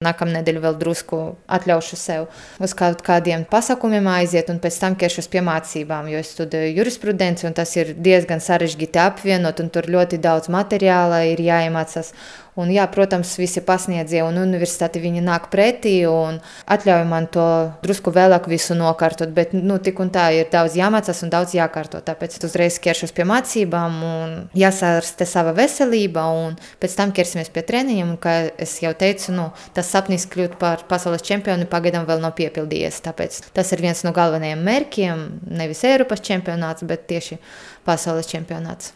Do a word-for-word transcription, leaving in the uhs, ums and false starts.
Nākamnedēļ vēl drusku atļaušu sev uz kaut kādiem pasākumiem aiziet un pēc tam ķeršos pie mācībām, jo es studēju jurisprudenci un tas ir diezgan sarežģīti apvienot un tur ļoti daudz materiāla ir jāiemācās. Un jā, protams, visi pasniedzie un universitāti viņi nāk pretī un atļauj man to drusku vēlāk visu nokārtot, bet nu tik un tā ir daudz jāmācās un daudz jākārto, tāpēc uzreiz ķeršos pie mācībām un jāsārste sava veselība un pēc tam ķersimies pie treniņiem un, kā es jau teicu, nu, tas sapnis kļūt par pasaules čempionu pagaidām vēl nav piepildījies, tāpēc tas ir viens no galvenajiem mērķiem, nevis Eiropas čempionāts, bet tieši pasaules čempionāts.